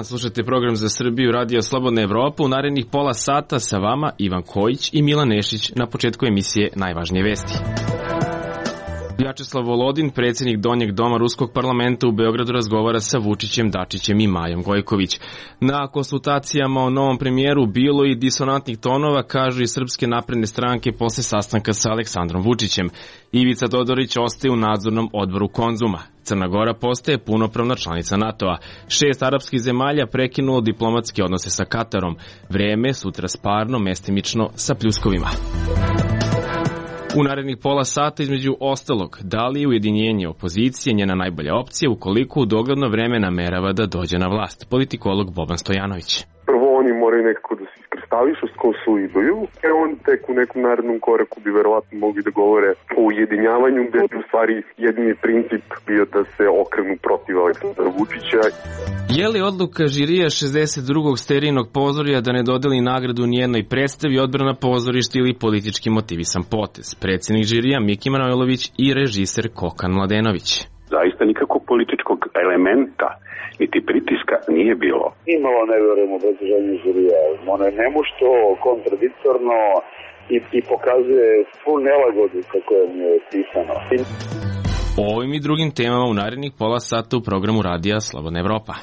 dan, slušate program za Srbiju Radio Slobodna Evropa. U narednih pola sata sa vama Ivan Kojić i Milan Nešić. Na početku emisije najvažnije vesti. Vjačeslav Volodin, predsjednik Donjeg doma Ruskog parlamenta u Beogradu, razgovara sa Vučićem, Dačićem i Majom Gojković. Na konsultacijama o novom premijeru bilo i disonantnih tonova, kažu i Srpske napredne stranke posle sastanka sa Aleksandrom Vučićem. Ivica Todorić ostaje u nadzornom odboru Konzuma. Crna Gora postaje punopravna članica NATO-a. 6 arapskih zemalja prekinulo diplomatske odnose sa Katarom. Vreme sutra sparno, mestimično sa pljuskovima. U narednih pola sata, između ostalog, da li je ujedinjenje opozicije njena najbolja opcija ukoliko u dogledno vreme namerava da dođe na vlast? Politikolog Boban Stojanović. Prvo oni moraju nekako da se iskristališu, skonsoliduju, on tek u nekom narednom koraku bi verovatno mogli da govore o ujedinjavanju, gde bi u stvari jedini princip bio da se okrenu protiv Aleksandra Vučića. Je li odluka žirija 62. sterijnog pozorja da ne dodeli nagradu nijednoj predstavi odbrana pozorišta ili politički motivisan potez? Predsjednik žirija Miki Manojlović i režiser Kokan Mladenović. Zaista nikakvog političkog elementa niti pritiska nije bilo. Nimalo ne verujem u obrazloženju žirija. Ono je nemušto, kontradiktorno i pokazuje svu nelagodu kako je pisano. O ovim i drugim temama u narednih pola sata u programu Radija Slobodna Evropa.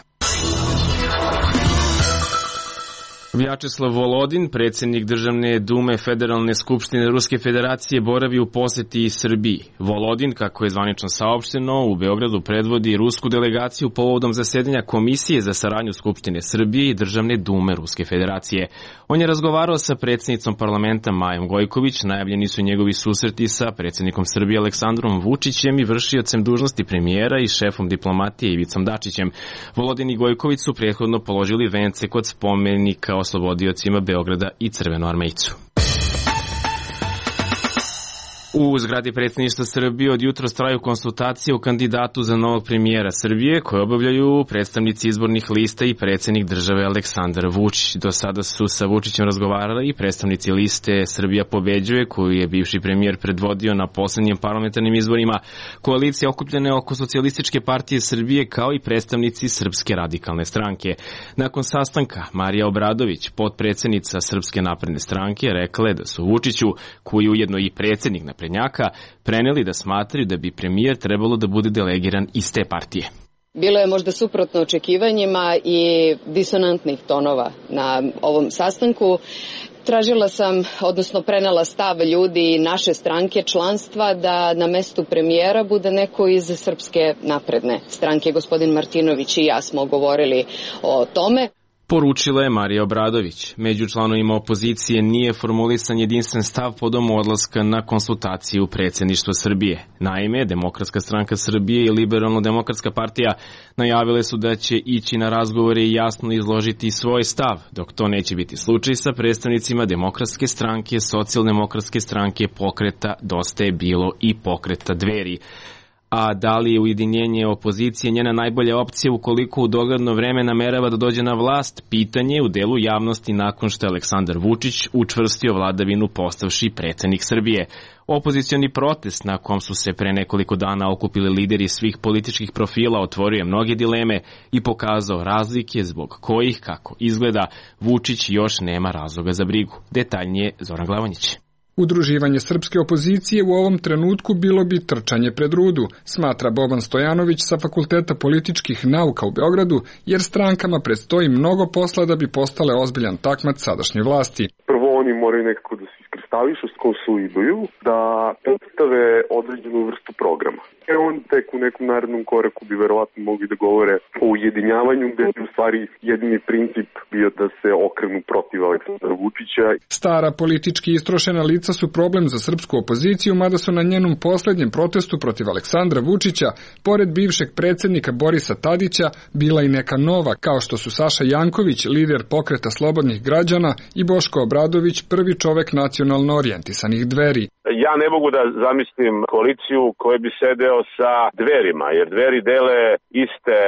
Vjačeslav Volodin, predsjednik Državne dume Federalne skupštine Ruske federacije, boravi u posjeti Srbiji. Volodin, kako je zvanično saopšteno, u Beogradu predvodi rusku delegaciju povodom zasedanja Komisije za saradnju Skupštine Srbije i Državne dume Ruske federacije. On je razgovarao sa predsjednicom parlamenta Majom Gojković, najavljeni su njegovi susreti sa predsjednikom Srbije Aleksandrom Vučićem i vršiocem dužnosti premijera i šefom diplomatije Ivicom Dačićem. Volodin i Gojković su prethodno položili vence kod spomenika oslobodiocima Beograda i Crvenoarmejcu. U zgradi predsjedništva Srbije od jutros traju konsultacije o kandidatu za novog premijera Srbije koje obavljaju predstavnici izbornih lista i predsjednik države Aleksandar Vučić. Do sada su sa Vučićem razgovarali i predstavnici liste Srbija pobeđuje, koju je bivši premijer predvodio na poslednjim parlamentarnim izborima, koalicije okupljene oko Socijalističke partije Srbije, kao i predstavnici Srpske radikalne stranke. Nakon sastanka, Marija Obradović, potpredsjednica Srpske napredne stranke, rekla je da su Vučiću, koji je ujedno i predsjednik naprednjaka, preneli da smatraju da bi premijer trebalo da bude delegiran iz te partije. Bilo je možda suprotno očekivanjima i disonantnih tonova na ovom sastanku. Tražila sam, odnosno prenela stav ljudi naše stranke članstva da na mestu premijera bude neko iz Srpske napredne stranke. Gospodin Martinović i ja smo govorili o tome. Poručila je Marija Obradović. Među članovima opozicije nije formulisan jedinstven stav povodom odlaska na konsultaciju predsjedništva Srbije. Naime, Demokratska stranka Srbije i Liberalno-demokratska partija najavile su da će ići na razgovore i jasno izložiti svoj stav, dok to neće biti slučaj sa predstavnicima Demokratske stranke, Socijaldemokratske stranke, Pokreta Dosta je bilo i Pokreta Dveri. A da li je ujedinjenje opozicije njena najbolja opcija ukoliko u dogledno vreme namerava da dođe na vlast, pitanje u delu javnosti nakon što je Aleksandar Vučić učvrstio vladavinu postavši predsjednik Srbije. Opozicioni protest na kom su se pre nekoliko dana okupili lideri svih političkih profila otvorio je mnoge dileme i pokazao razlike zbog kojih, kako izgleda, Vučić još nema razloga za brigu. Detaljnije Zoran Glavonjić. Udruživanje srpske opozicije u ovom trenutku bilo bi trčanje pred rudu, smatra Boban Stojanović sa Fakulteta političkih nauka u Beogradu, jer strankama predstoji mnogo posla da bi postale ozbiljan takmac sadašnje vlasti. Prvo oni moraju nekako da se iskristališu, skonsoliduju, da predstave određenu vrstu programa. On tek u nekom narednom koraku bi verovatno mogli da govore o ujedinjavanju, gde bi u stvari jedini princip bio da se okrenu protiv Aleksandra Vučića. Stara politički istrošena lica su problem za srpsku opoziciju, mada su na njenom poslednjem protestu protiv Aleksandra Vučića, pored bivšeg predsjednika Borisa Tadića, bila i neka nova, kao što su Saša Janković, lider Pokreta slobodnih građana, i Boško Obradović, prvi čovek nacionalno orijentisanih Dveri. Ja ne mogu da zamislim koaliciju koja bi sedeo sa Dverima, jer Dveri dele iste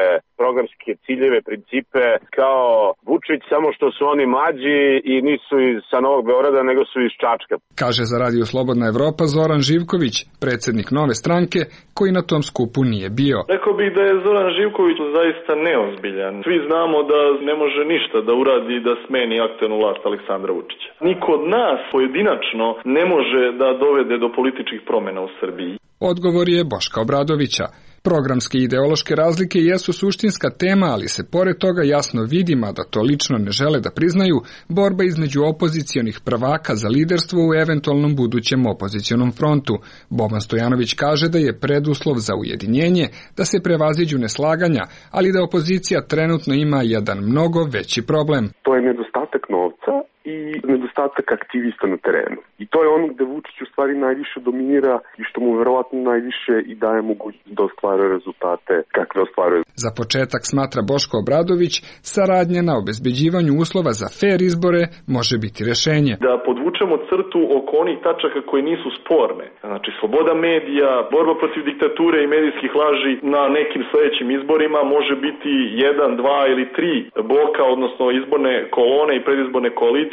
programske ciljeve, principe kao Vučić, samo što su oni mlađi i nisu sa Novog Beograda, nego su iz Čačka. Kaže za Radio Slobodna Evropa Zoran Živković, predsjednik Nove stranke, koji na tom skupu nije bio. Rekao bih da je Zoran Živković zaista neozbiljan. Svi znamo da ne može ništa da uradi da smeni aktuelnu vlast Aleksandra Vučića. Niko od nas pojedinačno ne može da dovede do političkih promjena u Srbiji. Odgovor je Boška Obradovića. Programske i ideološke razlike jesu suštinska tema, ali se pored toga jasno vidi, mada to lično ne žele da priznaju, borba između opozicionih prvaka za liderstvo u eventualnom budućem opozicionom frontu. Boban Stojanović kaže da je preduslov za ujedinjenje da se prevaziđu neslaganja, ali da opozicija trenutno ima jedan mnogo veći problem. To je nedostatak novca i nedostatak aktivista na terenu. I to je ono gde Vučić u stvari najviše dominira i što mu verovatno najviše i daje mogućnost da ostvaruje rezultate kakve ostvaruje. Za početak, smatra Boško Obradović, saradnja na obezbeđivanju uslova za fer izbore može biti rešenje. Da podvučemo crtu oko onih tačaka koje nisu sporne. Znači, sloboda medija, borba protiv diktature i medijskih laži na nekim sledećim izborima može biti 1, 2 ili 3 bloka, odnosno izborne kolone i predizborne koalicije.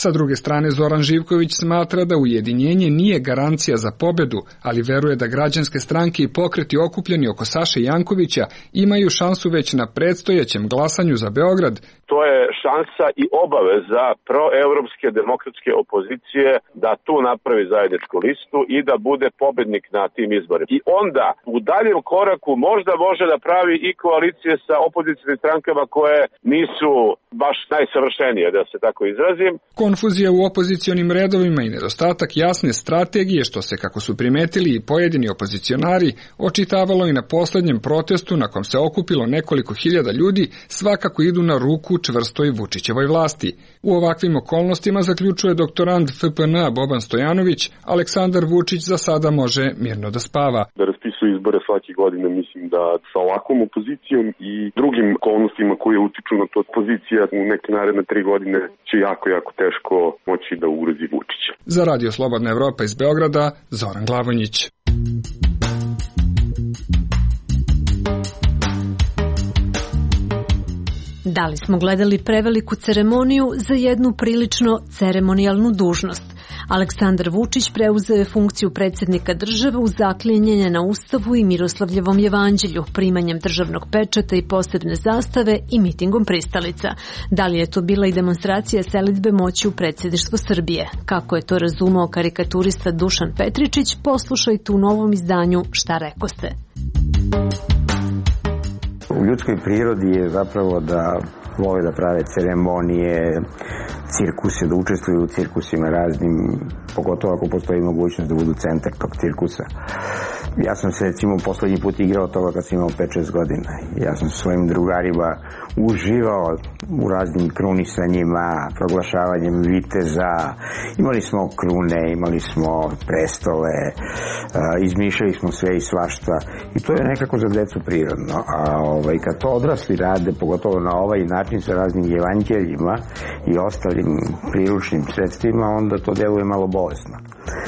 Sa druge strane, Zoran Živković smatra da ujedinjenje nije garancija za pobedu, ali veruje da građanske stranke i pokreti okupljeni oko Saše Jankovića imaju šansu već na predstojećem glasanju za Beograd. To je šansa i obaveza proevropske demokratske opozicije da tu napravi zajedničku listu i da bude pobednik na tim izborima. I onda u daljem koraku možda može da pravi i koalicije sa opozicijnim strankama koje nisu baš najsavršenije, da se tako izrazim. Konfuzija u opozicionim redovima i nedostatak jasne strategije, što se, kako su primetili i pojedini opozicionari, očitavalo i na poslednjem protestu na kom se okupilo nekoliko hiljada ljudi, svakako idu na ruku čvrstoj Vučićevoj vlasti. U ovakvim okolnostima, zaključuje doktorand FPN Boban Stojanović, Aleksandar Vučić za sada može mirno da spava. Da raspisuje izbore svake godine, mislim da sa ovakvom opozicijom i drugim okolnostima koje utiču na to, opozicija u neke naredne 3 godine će jako teško moći da ugrozi Vučića. Za Radio Slobodna Evropa iz Beograda, Zoran Glavonjić. Da li smo gledali preveliku ceremoniju za jednu prilično ceremonijalnu dužnost? Aleksandar Vučić preuzeo je funkciju predsjednika države uz zaklinjenje na Ustavu i Miroslavljevom jevanđelju, primanjem državnog pečata i posebne zastave i mitingom pristalica. Da li je to bila i demonstracija selidbe moći u predsjedništvo Srbije? Kako je to razumao karikaturista Dušan Petričić, poslušajte u novom izdanju Šta rekoste. U ljudskoj prirodi je zapravo da vole da prave ceremonije, cirkuse, da učestvuju u cirkusima raznim, pogotovo ako postoji mogućnost da budu centar tog cirkusa. Ja sam se recimo poslednji put igrao toga kad sam imao 5-6 godina. Ja sam sa svojim drugarima uživao u raznim krunisanjima, proglašavanjem viteza. Imali smo krune, imali smo prestole, izmišljali smo sve i svašta. I to je nekako za decu prirodno. A kad to odrasli rade, pogotovo na ovaj način sa raznim evanđeljima i ostalim priručnim sredstvima, onda to deluje malo bolesno.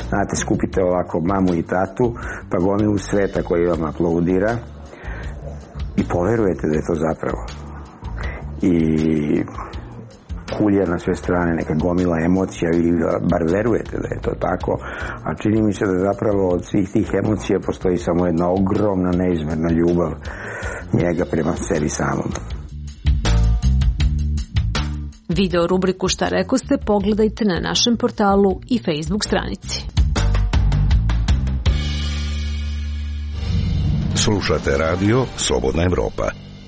Znate, skupite ovako mamu i tatu, pa gomilu sveta koji vam aplaudira i poverujete da je to zapravo. I kulja na sve strane, neka gomila emocija, vi bar verujete da je to tako, a čini mi se da zapravo od svih tih emocija postoji samo jedna ogromna neizmerna ljubav njega prema sebi samom. Video rubriku Šta rekoste pogledajte na našem portalu i Facebook stranici. Slušate radio Slobodna Evropa.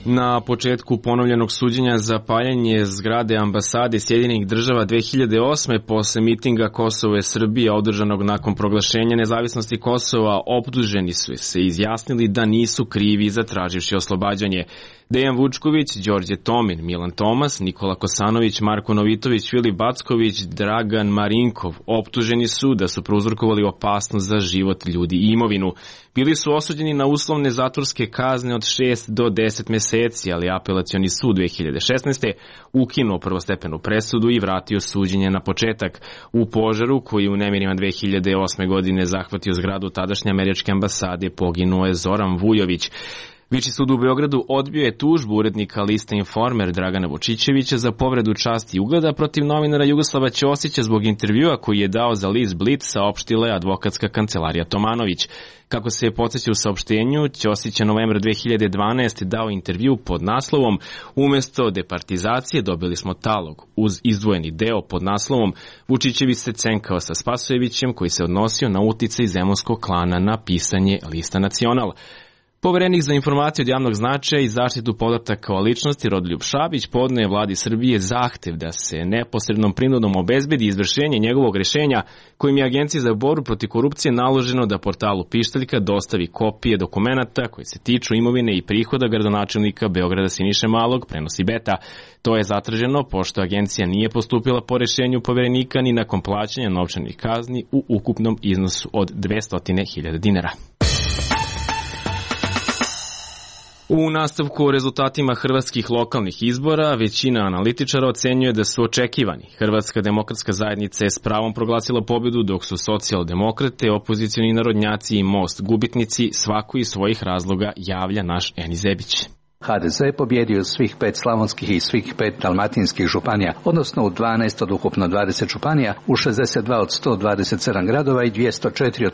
Na početku ponovljenog suđenja za paljenje zgrade ambasade Sjedinjenih država 2008. posle mitinga Kosovo je Srbija održanog nakon proglašenja nezavisnosti Kosova, optuženi su se izjasnili da nisu krivi zatraživši oslobađanje. Dejan Vučković, Đorđe Tomin, Milan Tomas, Nikola Kosanović, Marko Novitović, Filip Backović, Dragan Marinkov optuženi su da su prouzrokovali opasnost za život ljudi i imovinu. Bili su osuđeni na uslovne zatvorske kazne od 6 do 10 meseci, ali apelacioni sud 2016. ukinuo prvostepenu presudu i vratio suđenje na početak. U požaru koji u nemirima 2008. godine zahvatio zgradu tadašnje američke ambasade poginuo je Zoran Vujović. Viši sud u Beogradu odbio je tužbu urednika lista Informer Dragana Vučićevića za povredu časti i ugleda protiv novinara Jugoslava Ćosića zbog intervjua koji je dao za list Blic, saopštila je advokatska kancelarija Tomanović. Kako se je podsjeća u saopštenju, Ćosić je novembra 2012. dao intervju pod naslovom "Umesto departizacije dobili smo talog", uz izdvojeni deo pod naslovom "Vučićević se cenkao sa Spasojevićem", koji se odnosio na uticaj zemunskog klana na pisanje lista Nacional. Poverenik za informacije od javnog značaja i zaštitu podataka o ličnosti Rodoljub Šabić podneo je vladi Srbije zahtev da se neposrednom prinudom obezbedi izvršenje njegovog rešenja kojim je Agenciji za borbu protiv korupcije naloženo da portalu Pištaljka dostavi kopije dokumenata koji se tiču imovine i prihoda gradonačelnika Beograda Siniše Malog, prenosi Beta. To je zatraženo pošto agencija nije postupila po rešenju poverenika ni nakon plaćanja novčanih kazni u ukupnom iznosu od 200.000 dinara. U nastavku o rezultatima hrvatskih lokalnih izbora, većina analitičara ocenjuje da su očekivani. Hrvatska demokratska zajednica je s pravom proglasila pobedu, dok su socijaldemokrate, opozicioni narodnjaci i Most gubitnici, svako iz svojih razloga, javlja naš Eni Zebić. HDZ je pobjedio svih 5 slavonskih i svih 5 dalmatinskih županija, odnosno u 12 od ukupno 20 županija, u 62 od 127 gradova i 204 od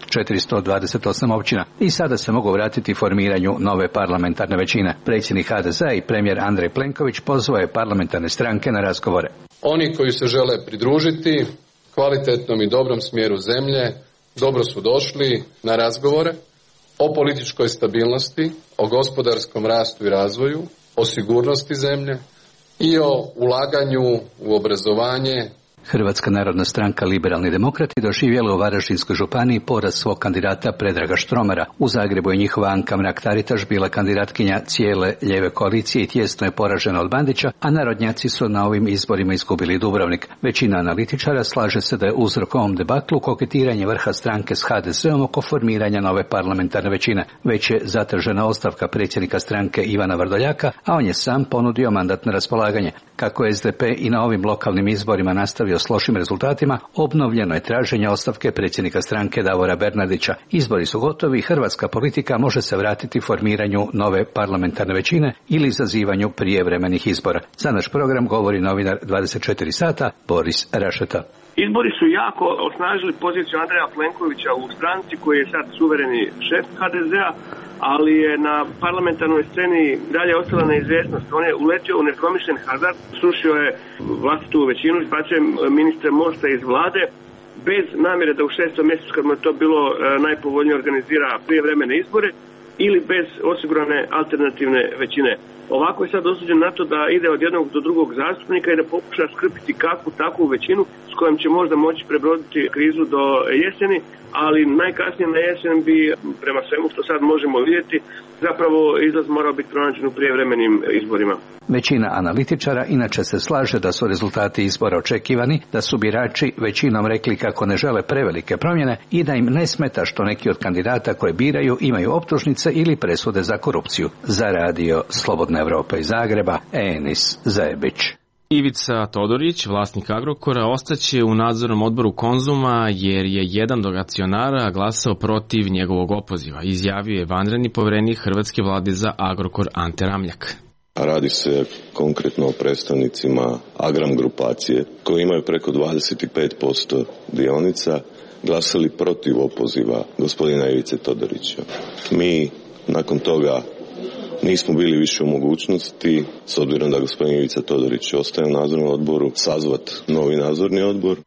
428 općina. I sada se mogu vratiti formiranju nove parlamentarne većine. Predsjednik HDZ i premijer Andrej Plenković pozvao je parlamentarne stranke na razgovore. Oni koji se žele pridružiti kvalitetnom i dobrom smjeru zemlje, dobro su došli na razgovore o političkoj stabilnosti, o gospodarskom rastu i razvoju, o sigurnosti zemlje i o ulaganju u obrazovanje. Hrvatska narodna stranka Liberalni demokrati doživjela u Varaždinskoj županiji poraz svog kandidata Predraga Štromara. U Zagrebu je njihova Anka Mrak-Taritaš bila kandidatkinja cijele lijeve koalicije i tijesno je poražena od Bandića, a narodnjaci su na ovim izborima izgubili Dubrovnik. Većina analitičara slaže se da je uzrok ovom debaklu koketiranje vrha stranke s HDZ-om oko formiranja nove parlamentarne većine. Već je zatražena ostavka predsjednika stranke Ivana Vrdoljaka, a on je sam ponudio mandat na raspolaganje. Kako je SDP i na ovim lokalnim izborima nastavio s lošim rezultatima, obnovljeno je traženje ostavke predsjednika stranke Davora Bernardića. Izbori su gotovi i hrvatska politika može se vratiti formiranju nove parlamentarne većine ili izazivanju prijevremenih izbora. Za naš program govori novinar 24 sata Boris Rašeta. Izbori su jako osnažili poziciju Andreja Plenkovića u stranci koji je sad suvereni šef HDZ-a, ali je na parlamentarnoj sceni dalje ostala neizvjesnost. On je uletio u nepromišljen hazard, srušio je vlastitu većinu, izbacio ministre Mosta iz vlade, bez namjere da u 6. mjesecu, kad mu je to bilo najpovoljnije, organizira prijevremene izbore ili bez osigurane alternativne većine. Ovako je sad osuđen na to da ide od jednog do drugog zastupnika i da pokuša skrpiti kakvu takvu većinu s kojom će možda moći prebroditi krizu do jeseni, ali najkasnije na jesen bi, prema svemu što sad možemo vidjeti, zapravo izlaz morao biti pronađen u prijevremenim izborima. Većina analitičara inače se slaže da su rezultati izbora očekivani, da su birači većinom rekli kako ne žele prevelike promjene i da im ne smeta što neki od kandidata koje biraju imaju optužnice ili presude za korupciju. Za radio Slobodna Evropa iz Zagreba, Enis Zebić. Ivica Todorić, vlasnik Agrokora, ostaće u nadzornom odboru Konzuma jer je jedan od akcionara glasao protiv njegovog opoziva, izjavio je vanredni poverenik hrvatske vlade za Agrokor Ante Ramljak. Radi se konkretno o predstavnicima Agram grupacije koji imaju preko 25% dionica, glasali protiv opoziva gospodina Ivice Todorića. Mi nakon toga nismo bili više u mogućnosti, s obzirom da gospodin Ivica Todorić ostaje u nadzornom odboru, sazvat novi nadzorni odbor.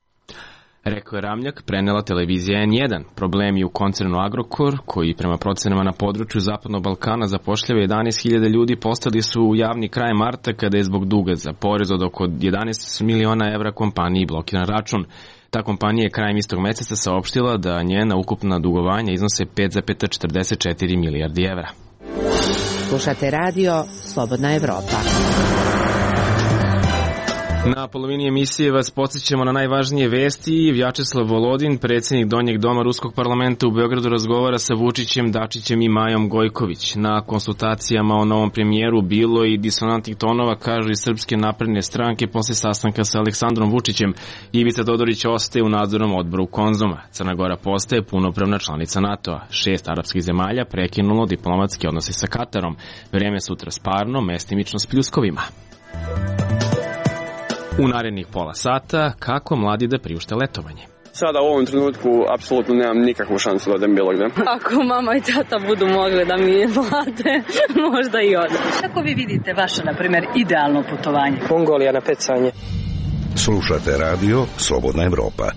Rekao je Ramljak, prenela televizija N1. Problemi u koncernu Agrokor, koji prema procenama na području Zapadnog Balkana zapošljava 11.000 ljudi, postali su u javni kraj marta kada je zbog duga za porez od oko 11 miliona evra kompaniji blokiran račun. Ta kompanija je krajem istog meseca saopštila da njena ukupna dugovanja iznose 5,44 milijardi evra. Slušate radio Slobodna Evropa. Na polovini emisije vas podsjećamo na najvažnije vesti. Vjačeslav Volodin, predsjednik Donjeg doma Ruskog parlamenta u Beogradu, razgovara sa Vučićem, Dačićem i Majom Gojković. Na konsultacijama o novom premijeru bilo i disonantnih tonova, kažu iz Srpske napredne stranke posle sastanka sa Aleksandrom Vučićem. Ivica Todorić ostaje u nadzornom odboru Konzuma. Crna Gora postaje punopravna članica NATO-a. 6 arapskih zemalja prekinulo diplomatski odnosi sa Katarom. Vreme sutra sparno, mestimično s pljuskovima. U narednih pola sata, kako mladi da priušte letovanje. Sada u ovom trenutku apsolutno nemam nikakvu šansu da odem bilo gde. Ako mama i tata budu mogli da mi plate, možda i odem. Kako vi vidite vaše, na primjer, idealno putovanje? Mongolija na pecanje. Slušate radio Slobodna Evropa.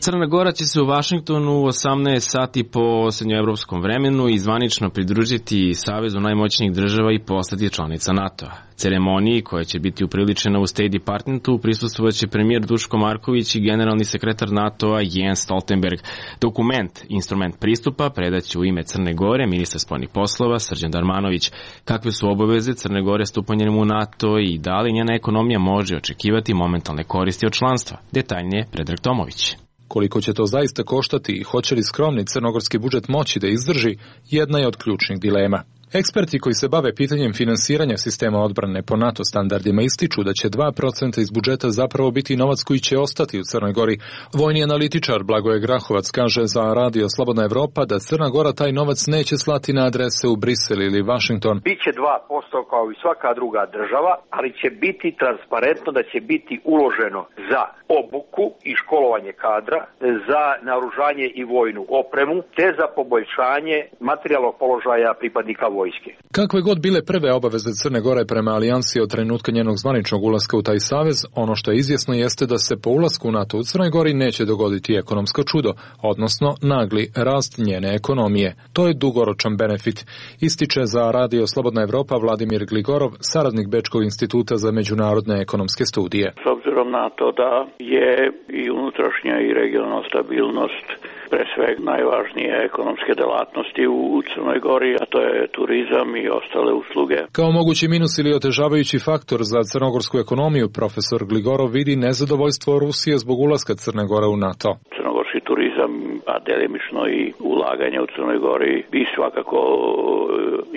Crna Gora će se u Vašingtonu u 18 sati po srednjoevropskom vremenu i zvanično pridružiti Savezu najmoćnijih država i postati članica NATO-a. Ceremoniji, koja će biti upriličena u State Departmentu, prisustvovaće premijer Duško Marković i generalni sekretar NATO-a Jens Stoltenberg. Dokument, instrument pristupa, predaće u ime Crne Gore ministar spoljnih poslova Srđan Darmanović. Kakve su obaveze Crne Gore stupanjem u NATO i da li njena ekonomija može očekivati momentalne koristi od članstva? Detaljnije Predrag Tomović. Koliko će to zaista koštati i hoće li skromni crnogorski budžet moći da izdrži, jedna je od ključnih dilema. Eksperti koji se bave pitanjem finansiranja sistema odbrane po NATO standardima ističu da će 2% iz budžeta zapravo biti novac koji će ostati u Crnoj Gori. Vojni analitičar Blagoje Grahovac kaže za radio Slobodna Evropa da Crna Gora taj novac neće slati na adrese u Brisel ili Washington. Biće 2% kao i svaka druga država, ali će biti transparentno da će biti uloženo za obuku i školovanje kadra, za naoružanje i vojnu opremu, te za poboljšanje materijalnog položaja pripadnika vojske. Kakve god bile prve obaveze Crne Gore prema alijansi od trenutka njenog zvaničnog ulaska u taj savez, ono što je izvjesno jeste da se po ulasku u NATO u Crnoj Gori neće dogoditi ekonomsko čudo, odnosno nagli rast njene ekonomije. To je dugoročan benefit, ističe za radio Slobodna Evropa Vladimir Gligorov, saradnik Bečkog instituta za međunarodne ekonomske studije. S obzirom na to da je i unutrašnja i regionalna stabilnost pre svega najvažnije ekonomske delatnosti u Crnoj Gori, a to je turizam i ostale usluge. Kao mogući minus ili otežavajući faktor za crnogorsku ekonomiju, profesor Gligorov vidi nezadovoljstvo Rusije zbog ulaska Crne Gore u NATO. Crnogorski turizam, a delimično i ulaganje u Crnoj Gori bi svakako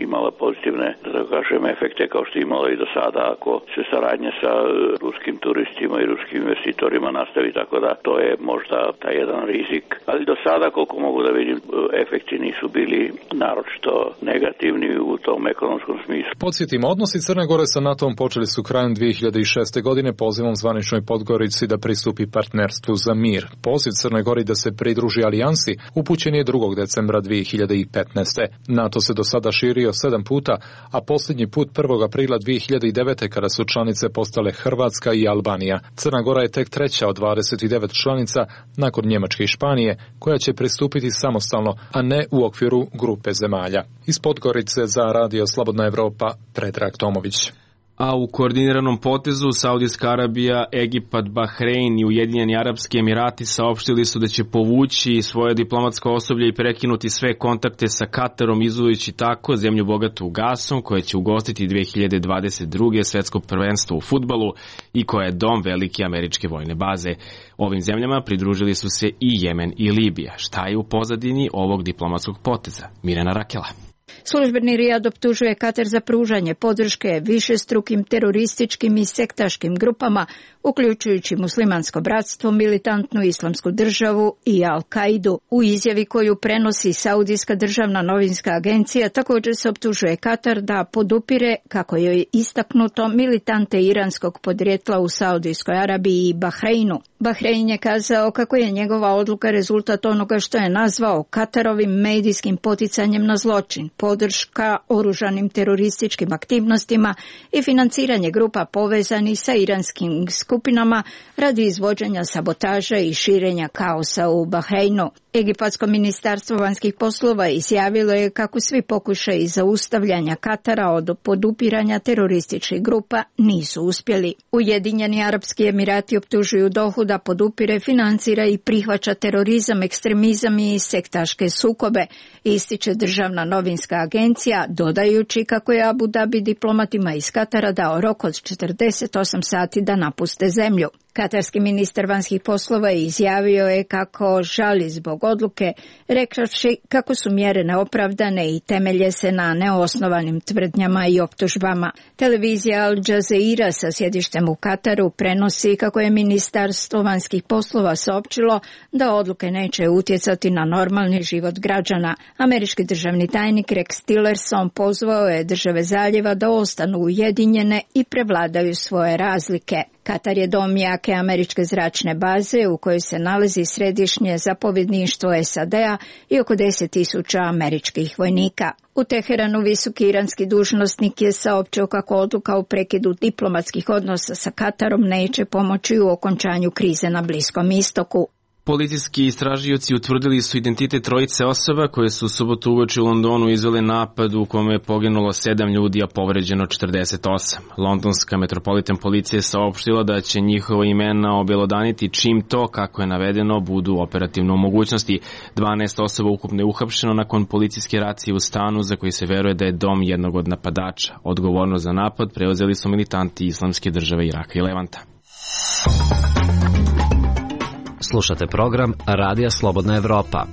imala pozitivne, da kažem, efekte kao što je imala i do sada ako se saradnja sa ruskim turistima i ruskim investitorima nastavi, tako da to je možda taj jedan rizik. Ali do sada, koliko mogu da vidim, efekti nisu bili naročito negativni u tom ekonomskom smislu. Podsjetimo, odnosi Crne Gore sa NATO-om počeli su krajem 2006. godine pozivom zvaničnoj Podgorici da pristupi partnerstvu za mir. Poziv Crnoj Gori da se pridruži alijansi upućen je 2. decembra 2015. NATO se do sada širio 7 puta, a posljednji put 1. aprila 2009. kada su članice postale Hrvatska i Albanija. Crna Gora je tek treća od 29 članica nakon Njemačke i Španije, koja će pristupiti samostalno, a ne u okviru grupe zemalja. Iz Podgorice za radio Slobodna Evropa, Predrag Tomović. A u koordiniranom potezu Saudijska Arabija, Egipat, Bahrein i Ujedinjeni Arapski Emirati saopštili su da će povući svoje diplomatsko osoblje i prekinuti sve kontakte sa Katarom, izujući tako zemlju bogatu gasom, koja će ugostiti 2022. svetsko prvenstvo u fudbalu i koja je dom velike američke vojne baze. Ovim zemljama pridružili su se i Jemen i Libija. Šta je u pozadini ovog diplomatskog poteza? Mirjana Rakela. Službeni Rijad optužuje Katar za pružanje podrške višestrukim terorističkim i sektaškim grupama, uključujući Muslimansko bratstvo, militantnu Islamsku državu i Al-Kaidu. U izjavi koju prenosi Saudijska državna novinska agencija također se optužuje Katar da podupire, kako je istaknuto, militante iranskog podrijetla u Saudijskoj Arabiji i Bahreinu. Bahrein je kazao kako je njegova odluka rezultat onoga što je nazvao Katarovim medijskim poticanjem na zločin, podrška oružanim terorističkim aktivnostima i financiranje grupa povezanih sa iranskim skupinama radi izvođenja sabotaža i širenja kaosa u Bahreinu. Egipatsko ministarstvo vanjskih poslova izjavilo je kako svi pokušaji zaustavljanja Katara od podupiranja terorističkih grupa nisu uspjeli. Ujedinjeni Arapski Emirati optužuju Dohu da podupire, financira i prihvaća terorizam, ekstremizam i sektaške sukobe, ističe Državna novinska agencija, dodajući kako je Abu Dhabi diplomatima iz Katara dao rok od 48 sati da napuste zemlju. Katarski ministar vanjskih poslova izjavio je kako žali zbog odluke, rekavši kako su mjere neopravdane i temelje se na neosnovanim tvrdnjama i optužbama. Televizija Al Jazeera sa sjedištem u Kataru prenosi kako je Ministarstvo vanjskih poslova saopćilo da odluke neće utjecati na normalni život građana. Američki državni tajnik Rex Tillerson pozvao je države zaljeva da ostanu ujedinjene i prevladaju svoje razlike. Katar je dom jake američke zračne baze u kojoj se nalazi središnje zapovjedništvo SAD-a i oko 10.000 američkih vojnika. U Teheranu visoki iranski dužnosnik je saopćio kako odluka o prekidu diplomatskih odnosa sa Katarom neće pomoći u okončanju krize na Bliskom istoku. Policijski istražioci utvrdili su identitet trojice osoba koje su u subotu uveče u Londonu izvele napad u kome je poginulo 7 ljudi, a povređeno 48. Londonska metropolitan policija je saopštila da će njihova imena obelodaniti čim to, kako je navedeno, budu operativno u mogućnosti. 12 osoba ukupno je uhapšeno nakon policijske racije u stanu za koji se veruje da je dom jednog od napadača. Odgovornost za napad preuzeli su militanti Islamske države Iraka i Levanta. Slušate program Radija Slobodna Evropa.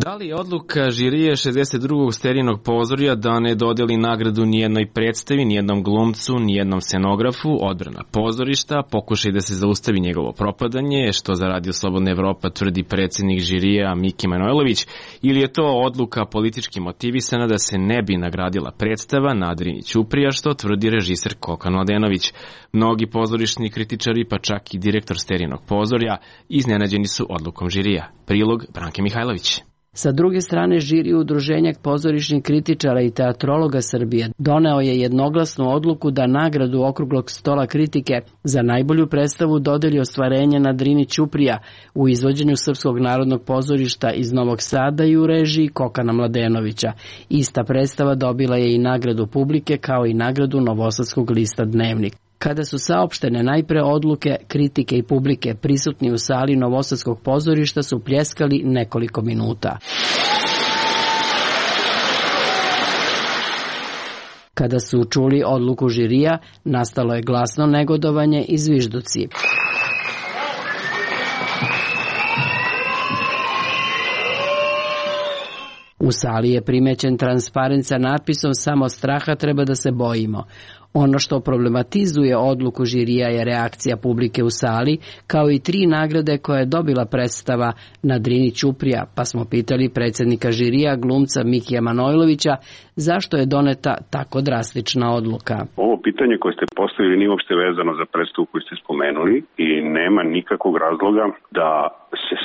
Da li je odluka žirije 62. Sterijinog pozorja da ne dodeli nagradu nijednoj predstavi, nijednom glumcu, nijednom scenografu, odbrana pozorišta, pokušaj da se zaustavi njegovo propadanje, što za Radio Slobodna Evropa tvrdi predsjednik žirija Miki Manojlović, ili je to odluka politički motivisana da se ne bi nagradila predstava na Drini Ćuprija, što tvrdi režiser Kokan Mladenović. Mnogi pozorišni kritičari, pa čak i direktor Sterijinog pozorja, iznenađeni su odlukom žirija. Prilog Branke Mihajlović. Sa druge strane, žiri Udruženja pozorišnih kritičara i teatrologa Srbije doneo je jednoglasnu odluku da nagradu Okruglog stola kritike za najbolju predstavu dodeli ostvarenje na Drini Ćuprija u izvođenju Srpskog narodnog pozorišta iz Novog Sada i u režiji Kokana Mladenovića. Ista predstava dobila je i nagradu publike kao i nagradu Novosadskog lista Dnevnik. Kada su saopštene najpre odluke, kritike i publike, prisutni u sali Novosadskog pozorišta su pljeskali nekoliko minuta. Kada su čuli odluku žirija, nastalo je glasno negodovanje i zvižduci. U sali je primećen transparent sa natpisom "Samo straha treba da se bojimo". Ono što problematizuje odluku žirija je reakcija publike u sali, kao i 3 nagrade koje je dobila predstava na Drini Ćuprija, pa smo pitali predsjednika žirija, glumca Mikija Manojlovića, zašto je doneta tako drastična odluka. Ovo pitanje koje ste postavili nije uopšte vezano za predstavu koju ste spomenuli i nema nikakvog razloga da se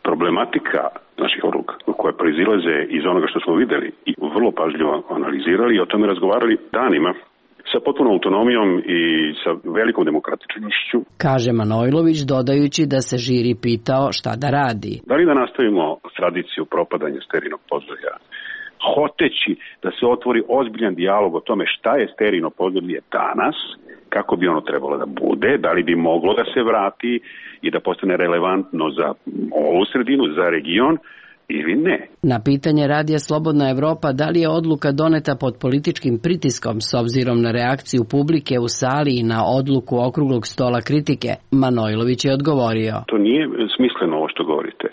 problematika naših odluka koje proizilaze iz onoga što smo videli i vrlo pažljivo analizirali i o tome razgovarali danima sa potpunom autonomijom i sa velikom demokratičnošću. Kaže Manojlović, dodajući da se žiri pitao šta da radi. Da li da nastavimo tradiciju propadanja Sterijinog pozorja, hoteći da se otvori ozbiljan dijalog o tome šta je Sterijino pozorje danas, kako bi ono trebalo da bude, da li bi moglo da se vrati i da postane relevantno za ovu sredinu, za region, ili ne. Na pitanje Radija Slobodna Evropa da li je odluka doneta pod političkim pritiskom s obzirom na reakciju publike u sali i na odluku Okruglog stola kritike, Manojlović je odgovorio. To nije smisleno ovo što govorite,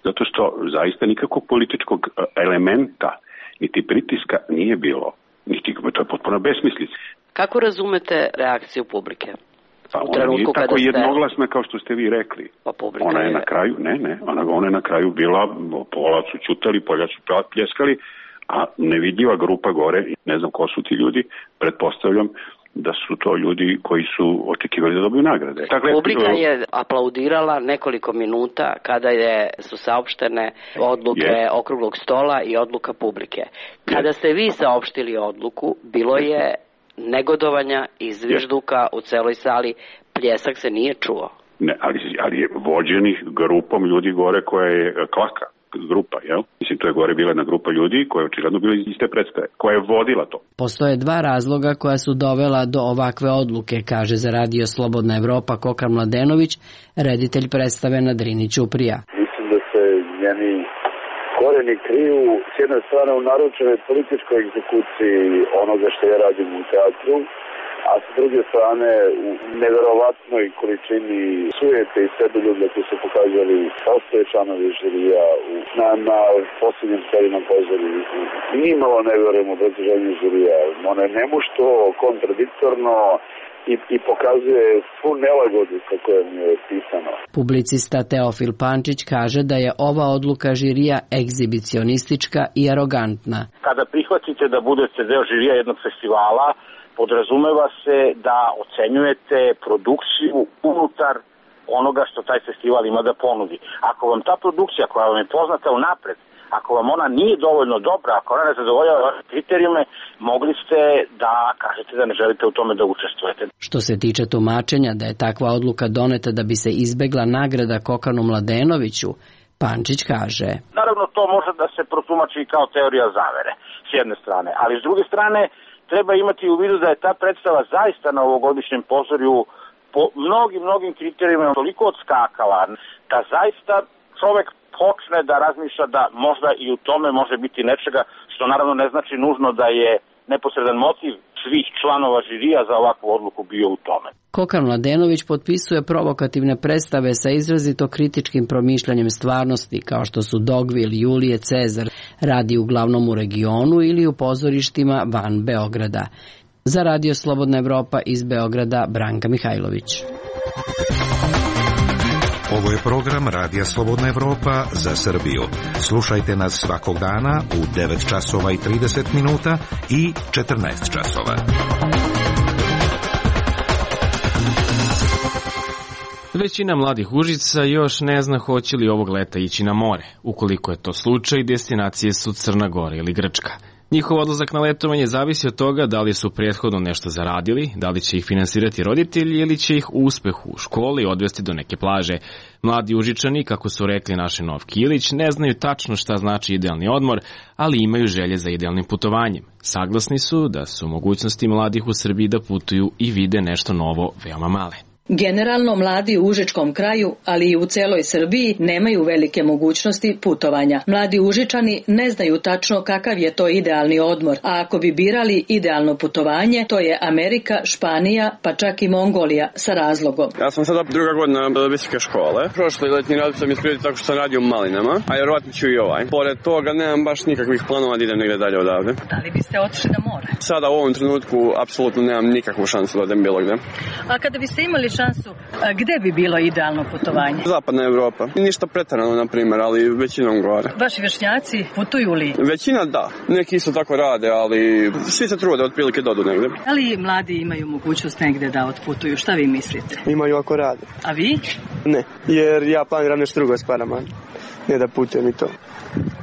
zato što zaista nikakvog političkog elementa niti pritiska nije bilo, niti to je potpuno besmislica. Kako razumete reakciju publike? Pa ona nije tako jednoglasna kao što ste vi rekli. Pa ona je na kraju, ona je na kraju bila, pola su ćutali, pola su pljeskali, a nevidljiva grupa gore, ne znam ko su ti ljudi, pretpostavljam da su to ljudi koji su očekivali da dobiju nagrade. Publika je aplaudirala nekoliko minuta kada su saopštene odluke Okruglog stola i odluka publike. Kada ste vi saopštili odluku, bilo je negodovanja i zvižduka u celoj sali, pljesak se nije čuo. Ne, ali je vođenih grupom ljudi gore koja je klaka. grupa, jel? Mislim, to je gore bila jedna grupa ljudi koja je očigledno bila iz te predstave, koja je vodila to. Postoje dva razloga koja su dovela do ovakve odluke, kaže za Radio Slobodna Evropa Kokan Mladenović, reditelj predstave na Drini Ćuprija. Mislim da se njeni koreni kriju s jedne strane u naručenoj političkoj egzekuciji onoga što ja radim u teatru, a s druge strane u neverovatnoj količini sujete i seboljublja koji su pokazali ostale članovi žirija na posljednjem serijnom pozorištu. Nimalo ne verujem u obrazloženju žirija. Ono je nemušto, kontradiktorno i pokazuje svu nelagodu kako je mi je pisano. Publicista Teofil Pančić kaže da je ova odluka žirija egzibicionistička i arogantna. Kada prihvatite da budete deo žirija jednog festivala, podrazumeva se da ocenjujete produkciju unutar onoga što taj festival ima da ponudi. Ako vam ta produkcija koja vam je poznata unapred, ako vam ona nije dovoljno dobra, ako ona ne zadovoljava vaše kriterijume, mogli ste da kažete da ne želite u tome da učestvujete. Što se tiče tumačenja da je takva odluka doneta da bi se izbegla nagrada Kokanu Mladenoviću, Pančić kaže: Naravno, to može da se protumači kao teorija zavere, s jedne strane, ali s druge strane treba imati u vidu da je ta predstava zaista na ovogodišnjem pozorju po mnogim kriterijima toliko odskakala da zaista čovek počne da razmišlja da možda i u tome može biti nečega, što naravno ne znači nužno da je neposredan motiv svih članova žirija za ovakvu odluku bio u tome. Kokan Mladenović potpisuje provokativne predstave sa izrazito kritičkim promišljanjem stvarnosti, kao što su Dogvil, Julije Cezar, radi uglavnom u regionu ili u pozorištima van Beograda. Za Radio Slobodna Evropa iz Beograda, Branka Mihajlović. Ovo je program Radija Slobodna Evropa za Srbiju. Slušajte nas svakog dana u 9 časova i 30 minuta i 14 časova. Većina mladih Užica još ne zna hoće li ovog leta ići na more. Ukoliko je to slučaj, destinacije su Crna Gora ili Grčka. Njihov odlazak na letovanje zavisi od toga da li su prethodno nešto zaradili, da li će ih finansirati roditelji ili će ih uspeh u školi odvesti do neke plaže. Mladi Užičani, kako su rekli naši Novki Ilić, ne znaju tačno šta znači idealni odmor, ali imaju želje za idealnim putovanjem. Saglasni su da su mogućnosti mladih u Srbiji da putuju i vide nešto novo veoma male. Generalno mladi u Užičkom kraju, ali i u celoj Srbiji, nemaju velike mogućnosti putovanja. Mladi Užičani ne znaju tačno kakav je to idealni odmor, a ako bi birali idealno putovanje, to je Amerika, Španija, pa čak i Mongolija sa razlogom. Ja sam sada druga godina visoke škole. Prošli letnji rad sam isprijediti tako što sam radio u Malinama, a vjerovatno ću i ovaj. Pored toga nemam baš nikakvih planova da idem negdje dalje odavde. Da li biste otišli na more? Sada u ovom trenutku apsolutno nemam nikakvu šansu da odem bilo gde. A kada biste imali šansu, gde bi bilo idealno putovanje? Zapadna Evropa. Ništa pretarano, na primjer, ali većinom gore. Vaši vršnjaci putuju li? Većina da. Neki isto tako rade, ali svi se trude otprilike da odu negde. Da li mladi imaju mogućnost negde da otputuju? Šta vi mislite? Imaju ako rade. A vi? Ne, jer ja planiram nešto drugo s parama. Ne da putujem i to.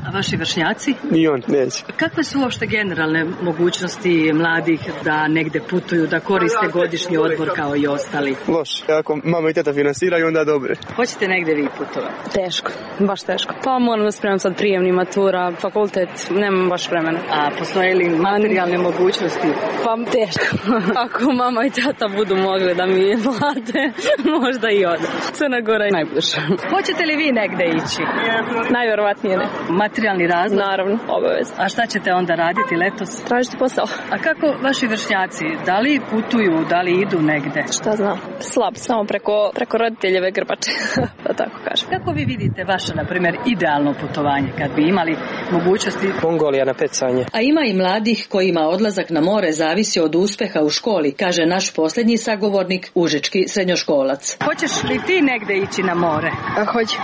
A vaši vršnjaci? I on neće. Kakve su uopšte generalne mogućnosti mladih da negde putuju, da koriste godišnji odmor kao i ostali? Loš. Ako mama i teta finansiraju, onda dobre. Hoćete negde vi putovati? Teško, baš teško. Pa moram da spremam sad prijemni matura, fakultet, nemam baš vremena. A postoje li materijalne mogućnosti? Pa teško. Ako mama i tata budu mogli da mi plate, možda i odem. Crna Gora je najbliže. Hoćete li vi negde ići? Najverovatnije ne. Materijalni razlog? Naravno, obavezno. A šta ćete onda raditi letos? Tražiti posao. A kako vaši vršnjaci? Da li putuju, da li idu negde? Šta znam, slab, samo preko roditeljeve grbače, da tako kažem. Kako vi vidite vaše, na primjer, idealno putovanje, kad bi imali mogućnosti? Mongolija na pecanje. A ima i mladih kojima odlazak na more zavisi od uspeha u školi, kaže naš posljednji sagovornik, užički srednjoškolac. Hoćeš li ti negde ići na more? A hoću.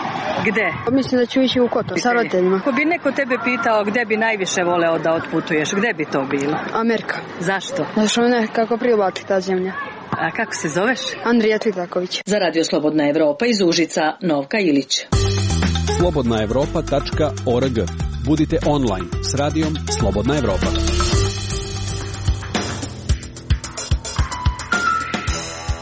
Gde? Mislim da ću ići u Kotor sa roditeljima. Ako bi neko tebe pitao gde bi najviše voleo da otputuješ, gde bi to bilo? Amerika. Zašto? Zato što me nekako privlači ta zemlja. A kako se zoveš? Andrija Tvitaković. Za Radio Slobodna Evropa iz Užica, Novka Ilić. slobodnaevropa.org. Budite online s radijom Slobodna Evropa.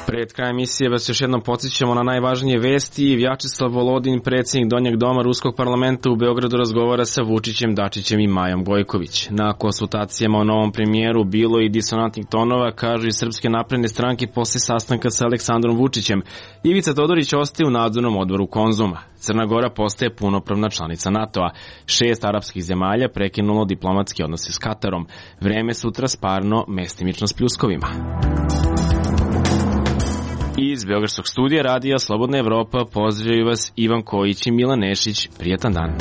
Pred krajem emisije vas još jednom podsjećamo na najvažnije vesti. Vjačeslav Volodin, predsjednik Donjeg doma Ruskog parlamenta u Beogradu, razgovara sa Vučićem, Dačićem i Majom Gojković. Na konsultacijama o novom premijeru bilo i disonantnih tonova, kažu i Srpske napredne stranke posle sastanka sa Aleksandrom Vučićem. Ivica Todorić ostaje u nadzornom odboru Konzuma. Crna Gora postaje punopravna članica NATO-a. 6 arapskih zemalja prekinulo diplomatske odnose s Katarom. Vreme sutra sparno, mestimično s pljuskovima. Iz Beogradskog studija Radija Slobodna Evropa pozdravljaju vas Ivan Kojić i Milan Nešić. Prijetan dan.